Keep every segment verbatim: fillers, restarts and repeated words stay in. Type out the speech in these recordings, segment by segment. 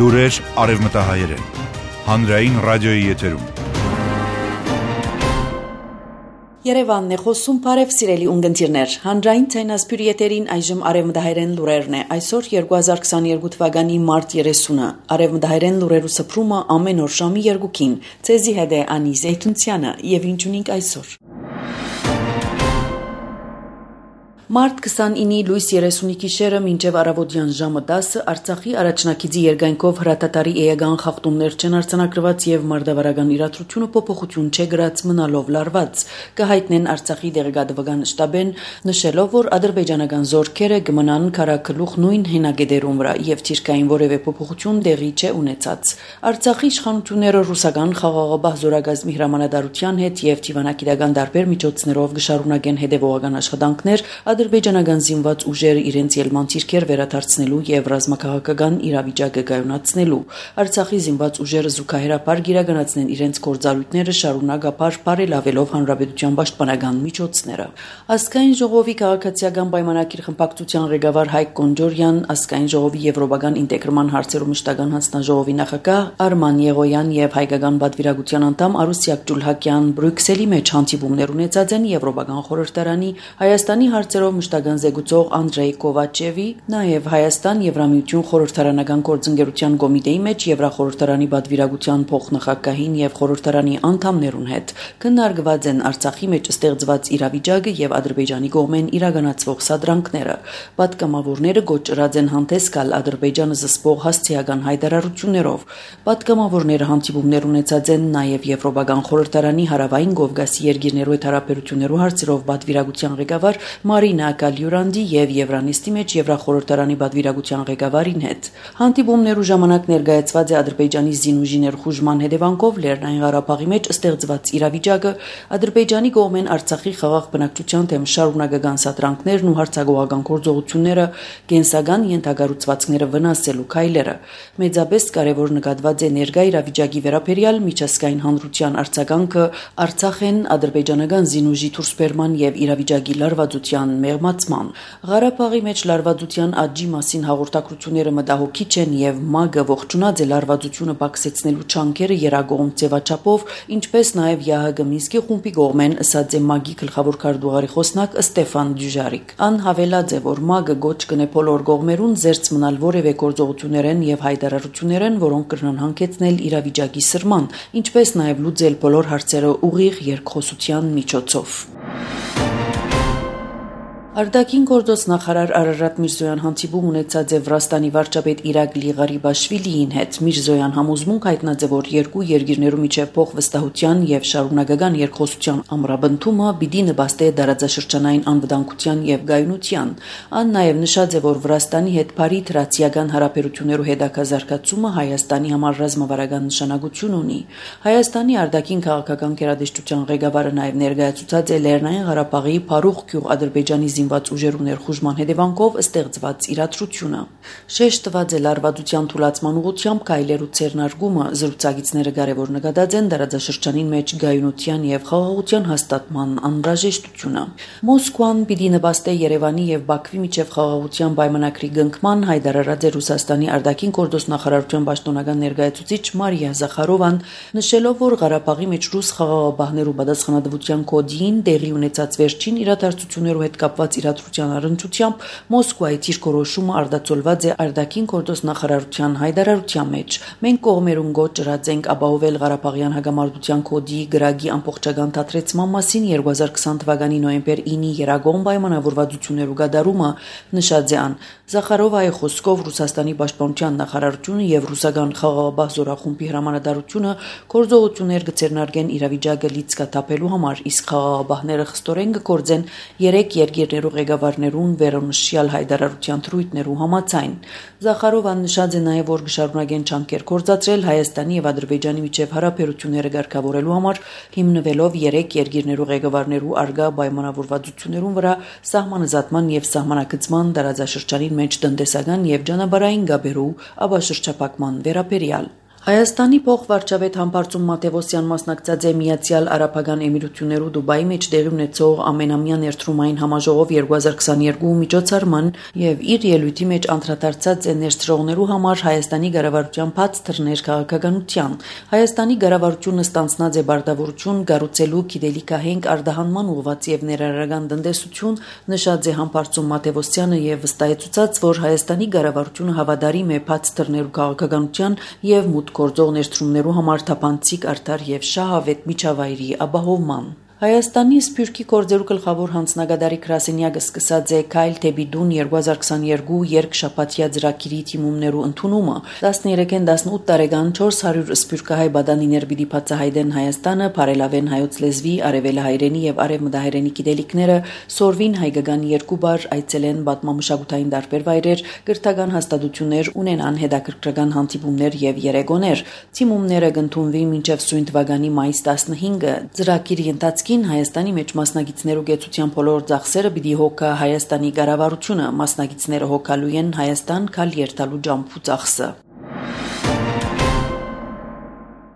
Լուրեր արևմտահայերեն, հանրային ռադիոյի եթերում։ Երևանն է խոսում, բարև սիրելի ունգընտիրներ, հանրային ցայնասպյուրի եթերին այժմ արևմտահայերեն լուրերն է, այսօր երկու հազար քսաներկու թվականի մարտ երեսունը, արևմտահայերեն լուրերու սփռումը ամեն օր ժամի երկուքին, ցեզի հետ է Անի Զեյթունցյանը եւ ինչ ունենք այսօր։ Մարտ քսանինի լույս երեսունի գիշերը մինչև առավոտյան ժամը տասը Արցախի առաջնակիցի երկայնքով հրատատարի էական խախտումներ չեն արձանագրված եւ մարդավարական իրադրությունը փոփոխություն չէ գրած մնալով լարված, կհայտնեն Արցախի դեղեկատվական շտաբեն, նշելով, որ ադրբեջանական զորքերը կմնան քարակլուխ նույն հենագետերում վրա եւ թիրքային որևէ փոփոխություն տեղի չէ ունեցած։ Արցախի իշխանությունները ռուսական խաղաղապահ զորագազմի հրամանատարության հետ եւ դիվանագիտական տարբեր միջոցներով կշարունակեն հետեւողական աշխատանքներ ադրբեջանական զինված ուժերը իրենց ելման թիրքեր վերադարձնելու եւ ռազմաքաղաքական իրավիճակը կայունացնելու։ Արցախի զինված ուժերը զուգահեռաբար գիրականացնեն իրենց գործառույթները շարունակաբար բարելավելով հանրապետության պաշտպանական միջոցները։ Ազգային ժողովի քաղաքացիական պայմանագիր խմբակցության ղեկավար Հայկ Կոնջորյան, ազգային ժողովի եվրոպական ինտեգրման հարցերու մշտական հանձնաժողովի նախագահ Արման Եղոյան եւ հայկական պատվիրակության անդամ Արուսյակ Ջուլհակյան Բրյուսելի մեջ հանդիպումներ ունեցած են Եվրոպական խորհրդարանի Հայաստանի հարցերով մշտական զեկուցող Անդրեյ Կովաչևի, նաև Հայաստան Եվրամիություն խորհրդարանական գործընկերության կոմիտեի մեջ Եվրախորհրդարանի պատվիրակության փոխնախագահին եւ խորհրդարանի անդամներուն հետ քննարկված են Արցախի մեջ ստեղծված իրավիճակը եւ Ադրբեջանի կողմեն իրականացվող սադրանքները։ Պատգամավորները գոչրած են հանդես գալ Ադրբեջանը զսպող հասցեական հայտարարություններով։ Պատգամավորները հանդիպումներ ունեցած են նաև Եվրոպական խորհրդարանի հարավային Կովկասի երկիրներու հետ հարաբերություններու հարցերով պատվիրակության ղեկավար Մարինա Գալյուրանդի եւ Եվրանիստի մեջ Եվրախորհրդարանի պատվիրակության ղեկավարին հետ։ Հանդիպումներու ժամանակ ներկայացված է Ադրբեջանի զինուժի ներխուժման հետևանքով Լեռնային Ղարաբաղի մեջ ստեղծված իրավիճակը, Ադրբեջանի կողմեն Արցախի խաղաղ բնակչության դեմ շարունակական սադրանքներն ու հարձակողական գործողությունները, կենսական ենթակառուցվածքները վնասելու քայլերը։ Մեծապես կարևոր նկատված է ներկա իրավիճակի վերաբերյալ միջազգային հանրության արձագանքը Արցախեն ադրբեջանական զինուժի դուրսբերման եւ իրավիճակի լարվածության մեղմացման։ Ղարաբաղի մեջ լարվածության աճի մասին հաղորդակցությունները մտահոգիչ են եւ ՄԱԳ-ը ողջունած է լարվածությունը բացեցնելու չանքերը երագողմ ձևաչափով, ինչպես նաեւ ԵԱՀԿ Մինսկի խումբի կողմեն ըսած է ՄԱԳ-ի գլխավոր քարտուղարի խոսնակ Ստեֆան Դյուժարիկ։ Ան հավելած է, որ ՄԱԳ-ը գոչ կնե բոլոր կողմերուն զերծ մնալ որևէ գործողություններեն եւ հայտարարություններեն, որոնք կրնան հանգեցնել իրավիճակի սրման, ինչպես նաեւ լուծել բոլոր հարցերը ուղիղ երկխոսության միջոցով։ Արտաքին գործոց նախարար Արարատ Միրզոյան հանդիպում ունեցած է Վրաստանի վարչապետ Իրակլի Ղարիբաշվիլիին հետ։ Միրզոյան համոզմունք հայտնած է, որ երկու երկիրներու միջև փոխվստահության եւ շարունակական երկխոսության ամրապնդումը պիտի նպաստի դարաձաշրջանային անվտանգության եւ գայունության։ Ան նաեւ նշած է, որ Վրաստանի հետ բարի թրացիական հարաբերություններու հետաքազարկացումը Հայաստանի համար ռազմավարական նշանակություն ունի։ Հայաստանի արտաքին քաղաքական գերատեսչության ղեկավարը նաեւ ներկայացուցած է Լեռնային Ղարաբաղի Փարուխ գյուղ Ադրբեջանի զինված ուժերու ներխուժման հետևանքով ստեղծված իրադրությունը։ Շեշտված է լարվածության թուլացման ուղղությամբ քայլերու ցերնարգումը, զրուցակիցները կարևոր նկատած են դարաձաշրջանին մեջ գայունության եւ խաղաղության հաստատման անհրաժեշտությունը։ Մոսկվան պիտի նպաստի Երևանի եւ Բաքվի միջև խաղաղության պայմանագրի կնքման, հայտարարած է Ռուսաստանի արտաքին գործոց նախարարության պաշտոնական ներկայացուցիչ Մարիա Զախարովան, նշելով, որ Ղարաբաղի մեջ ռուս խաղաղապահներու պատասխանատվության կոդին տեղի ունեցած վերջին իրադարձություններու հետ կապված իրադրության առընչությամբ Մոսկվայի դիրքորոշումը արտացոլված է արտաքին գործոց նախարարության հայտարարության մեջ։ Մենք կողմերուն գոչրած ենք ապահովել Ղարաբաղյան հակամարտության կոդի գրագի ամբողջական դադրեցման մասին երկու հազար քսան թվականի նոյեմբեր ինի երագողմ պայմանավորվածություններու կատարումը, նշած է ան։ Զախարովայի խոսքով Ռուսաստանի պաշտպանության նախարարությունը եւ ռուսական խաղաղապահ զորախումբի հրամանատարությունը գործողություններ կցերնարգեն իրավիճակը լիցքաթափելու համար, իսկ խաղաղապահները խստորեն կգործեն երեք երկիրներու ղեկավարներուն վերոնշյալ հայտարարության թրույթներու համաձայն։ Զախարովան նշած է նաեւ, որ կշարունակեն չանքեր գործադրել Հայաստանի եւ Ադրբեջանի միջև հարաբերությունները ղեկավարելու համար, հիմնվելով երեք երկիրներու ղեկավարներու արգա պայմանավորվածություններուն վրա սահմանազատման եւ սահմանակցման տարածաշրջանին մեջ տնտեսական եւ ճանապարհային գաբերու ապաշրջապակման վերաբերյալ։ Հայաստանի փոխվարչապետ Համբարձում Մատևոսյան մասնակցած է Միացյալ Արաբական Էմիրություններու Դուբայի մեջ տեղի ունեցող ամենամյա ներդրումային համաժողով երկու հազար քսաներկու միջոցառման եւ իր ելույթի մեջ անդրադարձած է ներդրողներու համար Հայաստանի ղեկավարության բաց թռներ քաղաքականության։ Հայաստանի ղեկավարությունը ստանձնած է բարդավորություն գառուցելու գիտելիքահենք արտահանման ուղղված եւ ներառական տնտեսություն, նշած է Համբարձում Մատևոսյանը եւ վստահեցուցած, որ Հայաստանի ղեկավարությունը հավատարիմ է բաց թռներու քաղաքականության եւ գործող ներդրումներու համար թափանցիկ արդար եւ շահավետ միջավայրի ապահովման։ Հայաստանի Սփյուռքի գործերու գլխավոր հանձնագետարի գրասենյակը սկսած է Քայլ թեպի դուն երկու հազար քսաներկու երկշաբաթյա ծրագիրի թիմումներու ընդունումը։ տասներեքին տասնութ տարեկան չորս հարյուր սփյուռքահայ բադանիներ պիտի բացահայտեն Հայաստանը, բարելավեն հայոց լեզվի, արևելահայերենի եւ արևմտահայերենի գիտելիքները, սորվին հայկական երկու բար, այցելեն պատմամշակութային տարբեր վայրեր, կրթական հաստատություններ, ունենան հետաքրքրական հանդիպումներ եւ երեկոներ։ Թիմումները կընդունվի մինչեւ սույն թվականի մայիս տասնհինգը։ Ծրագիրի ընթացքի Հայաստանի մեջ մասնակիցներու գեցության բոլոր ծախսերը պիտի հոգա Հայաստանի կառավարությունը, մասնակիցները հոգալու են Հայաստան քալ երթալու ջամփու ծախսը։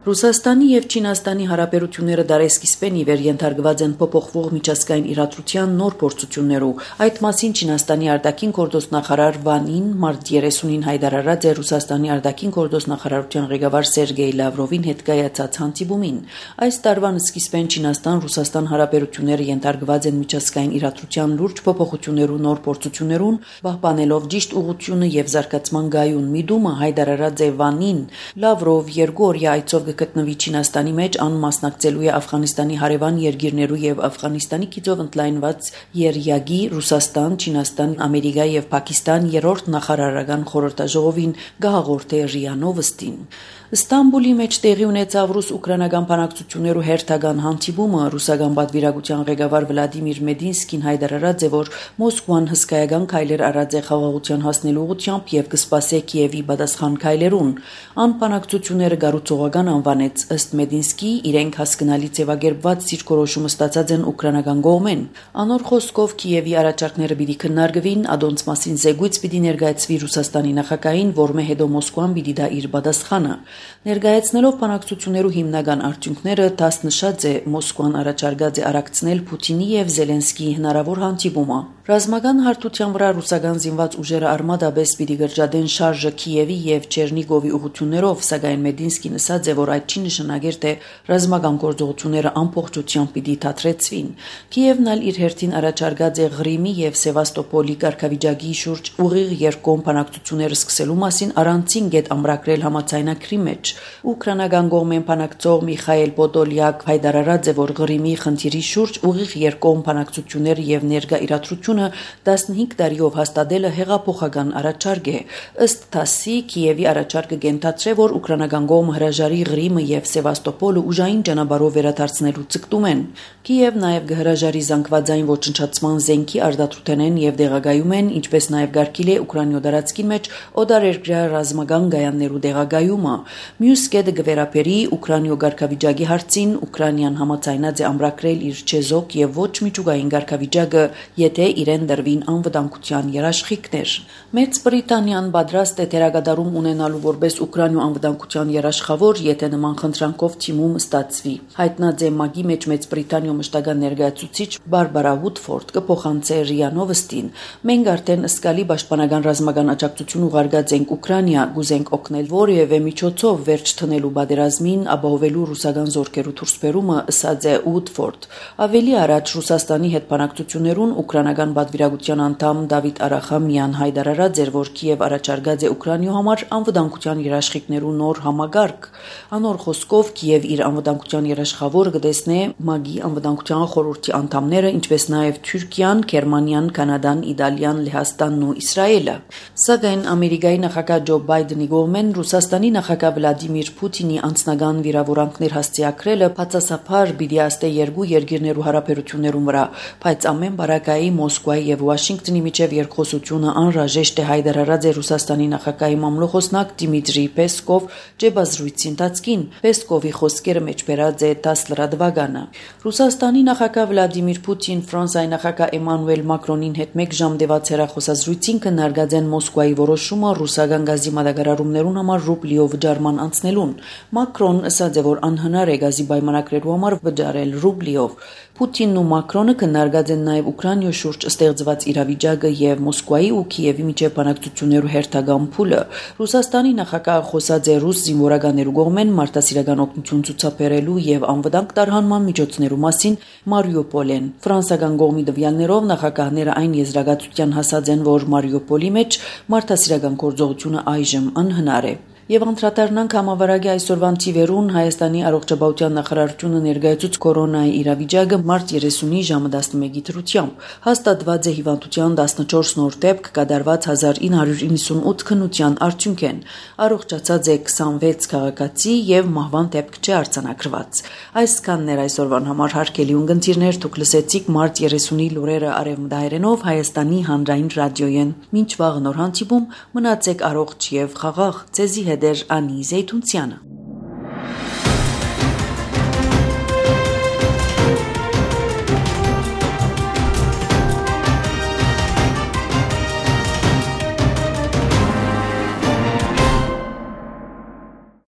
Ռուսաստանի եւ Չինաստանի հարաբերությունները դարեսկիզբեն ի վեր ենթարկված են փոփոխվող միջազգային իրադրության նոր փորձություններու։ Այդ մասին Չինաստանի արտաքին գործոստ նախարար Վանին մարտ երեսունին հայտարարած է Ռուսաստանի արտաքին գործոստ նախարարության ղեկավար Սերգեյ Լավրովին հետ կայացած հանդիպումին։ Այս տարվան սկիզբեն Չինաստան-Ռուսաստան հարաբերությունները ենթարկված են միջազգային իրադրության լուրջ փոփոխություններու նոր փորձություններուն, պահպանելով ճիշտ ուղղությունը եւ զարգացման գայուն միտումը հայտարարած է Վանին։ Լավրով երկու օրյա այցով գտնվի Չինաստանի մեջ անմասնակցելու է Աֆղանիստանի հարևան երկիրներու եւ Աֆղանիստանի գիծով ընդլայնված երյագի Ռուսաստան, Չինաստան, Ամերիկա եւ Պակիստան երրորդ նախարարական խորհրդաժողովին գահաղորդե ՌԻԱ Նովոստին։ Ստամբուլի մեջ տեղի ունեցավ ռուս-ուկրաինական բանակցություններու հերթական հանդիպումը ռուսական պատվիրակության ղեկավար Վլադիմիր Մեդինսկին հայտարարած է, որ Մոսկվան հսկայական քայլեր արած է խաղաղության հասնելու ուղղությամբ եւ կսպասե Կիևի պատասխան քայլերուն։ Ան բանակցությունները գառուցողական անվանեց ըստ Մեդինսկի իրենք հասկանալի ձևակերպված դիրքորոշումը ստացած են ուկրաինական կողմեն։ Անոր խոսքով Կիևի առաջարկները պիտի քննարկվին, ադոնց մասին զեկույց պիտի ներկայացվի Ռուսաստանի նախագահին, որմե հետո Մոսկվան պիտի դա իր պատասխանը։ Ներկայացնելով բանակցություններու հիմնական արդյունքները, դաս նշած է Մոսկվան առաջարկած է արագցնել Պուտինի եւ Զելենսկիի հնարավոր հանդիպումը։ Ռազմական հարթության վրա ռուսական զինված ուժերը արմատաբես պիտի գրջադեն շարժը Կիևի եւ Չերնիգովի ուղղություններով, սակայն Մեդինսկին ասաց է, որ այդ չի նշանակեր, թե ռազմական գործողությունները ամբողջությամբ պիտի դադրեցվին։ Կիևն ալ իր հերթին առաջարկած է Ղրիմի եւ Սևաստոպոլի կարգավիճակի շուրջ ուղիղ երկկողմ բանակցությունները սկսելու մասին առանցին գետ ամրագրել համաձայնագրի մեջ։ Ուկրաինական կողմեն բանակցող Միխայել Պոդոլյակ հայտարարած է, որ Ղրիմի խնդիրի շուրջ ուղիղ երկկողմ բանակցությունները եւ ներկա իրադրությունը տասնհինգ տարիով հաստատելը հեղափոխական առաջարկ է։ Ըստ ՏԱՍՍ-ի Կիևի առաջարկը կենթացրե, որ ուկրաինական կողմը հրաժարի Ղրիմը եւ Սևաստոպոլը ուժային ճանապարհով վերադարձնելու ցկտում են։ Կիև նաեւ կհրաժարի զանգվածային ոչնչացման զենքի արտադրութենեն եւ դեղագայում են, ինչպես նաեւ գարկիլ է Ուկրաինո դարածքի մեջ օտարերկրյա ռազմական գայաններու դեղագայումը։ Մյուս կետը կվերապերի Ուկրաինո ղարքավիճակի հարցին, Ուկրաինան համաձայնած է ամրագրել իր չեզոք եւ ոչ միջուկային ղարքավիճակը, եթե իրեն դրվին անվտանգության երաշխիքներ։ Մեծ Բրիտանիան պատրաստ է դերակատարում ունենալու որպես Ուկրաինո անվտանգության երաշխավոր, եթե նման խնդրանքով թիմում ստացվի։ Հայտնած է ՄԱԿ-ի մեջ Մեծ Բրիտանիո մշտական ներկայացուցիչ Բարբարա Վուդֆորդ կփոխանցե ՌԻԱ Նովոստին։ Մենք արդեն ըսկալի պաշտպանական ռազմական աջակցություն ուղարկած ենք Ուկրաինա, գուզենք օգնել որևէ միջոցով վերջ տնելու պատերազմին, ապահովելու ռուսական զորքերու դուրսբերումը, ըսած է Ուդֆորդ։ Ավելի առաջ Ռուսաստանի հետ բանակցություններուն ուկրաինական պատվիրակության անդամ Դավիթ Արախամյան հայտարարած էր, որ Կիև առաջարկած է Ուկրաինո համար անվտանգության երաշխիքներու նոր համագարկ։ Անոր խոսքով Կիև իր անվտանգության երաշխավորը կտեսնե ՄԱԿ-ի անվտանգության խորհրդի անդամները, ինչպես նաև Թուրքիան, Գերմանիան, Կանադան, Իտալիան, Լեհաստանն ու Իսրայելը։ Սակայն Ամերիկայի նախագահ Ջո Բայդենի կողմեն Ռուսաստանի նախագահ Վլադիմիր Պուտինի անձնական վիրավորանքներ հասցեակրելը բացասաբար պիտի աստե երկու երկիրներու հարաբերություններուն վրա, բայց ամեն բարակայի Մոսկվա Մոսկվայի եւ Վաշինգտոնի միջև երկխոսությունը անհրաժեշտ է հայտարարած է Ռուսաստանի նախագահի մամլոխոսնակ Դիմիտրի Պեսկով ջեբազրույցի ընթացքին։ Պեսկովի խոսքերը մեջբերած է տասը լրատվականը։ Ռուսաստանի նախագահ Վլադիմիր Պուտին Ֆրանսիայի նախագահ Էմանուել Մակրոնին հետ մեկ ժամ տևած հեռախոսազրույցին քննարկած են Մոսկվայի որոշումը ռուսական գազի մատակարարումներուն համար ռուբլիով վճարման անցնելուն։ Մակրոն ասաց է, որ անհնար է գազի պայմանագրերու համար վճարել ռուբլիով։ Պուտինն ու Մակրոնը քննարկած են նաև Ուկրաինայի շուրջ ստեղծված իրավիճակը եւ Մոսկվայի ու Կիևի միջև բանակցություններու հերթական փուլը։ Ռուսաստանի նախագահը խոսած է ռուս զինվորականներու կողմեն մարդասիրական օգնություն ցուցաբերելու եւ անվտանգ տարհանման միջոցներու մասին Մարիուպոլեն։ Ֆրանսիական կողմի տվյալներով նախագահները այն եզրակացության հասած են, որ Մարիուպոլի մեջ մարդասիրական գործողությունը այժմ անհնար է։ Եվ անդրադառնանք համավարակի այսօրվան թիվերուն Հայաստանի առողջապահության նախարարությունը ներկայացուց կորոնայի իրավիճակը մարտ երեսունի ժամը տասնմեկի դրությամբ։ Հաստատված է հիվանդության տասնչորս նոր դեպք, կատարված հազար ինը հարյուր իննսունութ քննության արդյունք են։ Առողջացած է քսանվեց քաղաքացի եւ մահվան դեպք չէ արձանագրված։ Այսքանն էր այսօրվան համար հարգելի ունկնդիրներ, դուք լսեցիք մարտ երեսունի լուրերը արևմտահայերենով Հայաստանի հանրային ռադիոյեն։ Մինչ վաղ նոր հանդիպում մնացեք առողջ եւ խաղաղ։ Ձեզի Անի Զեյթունցյանը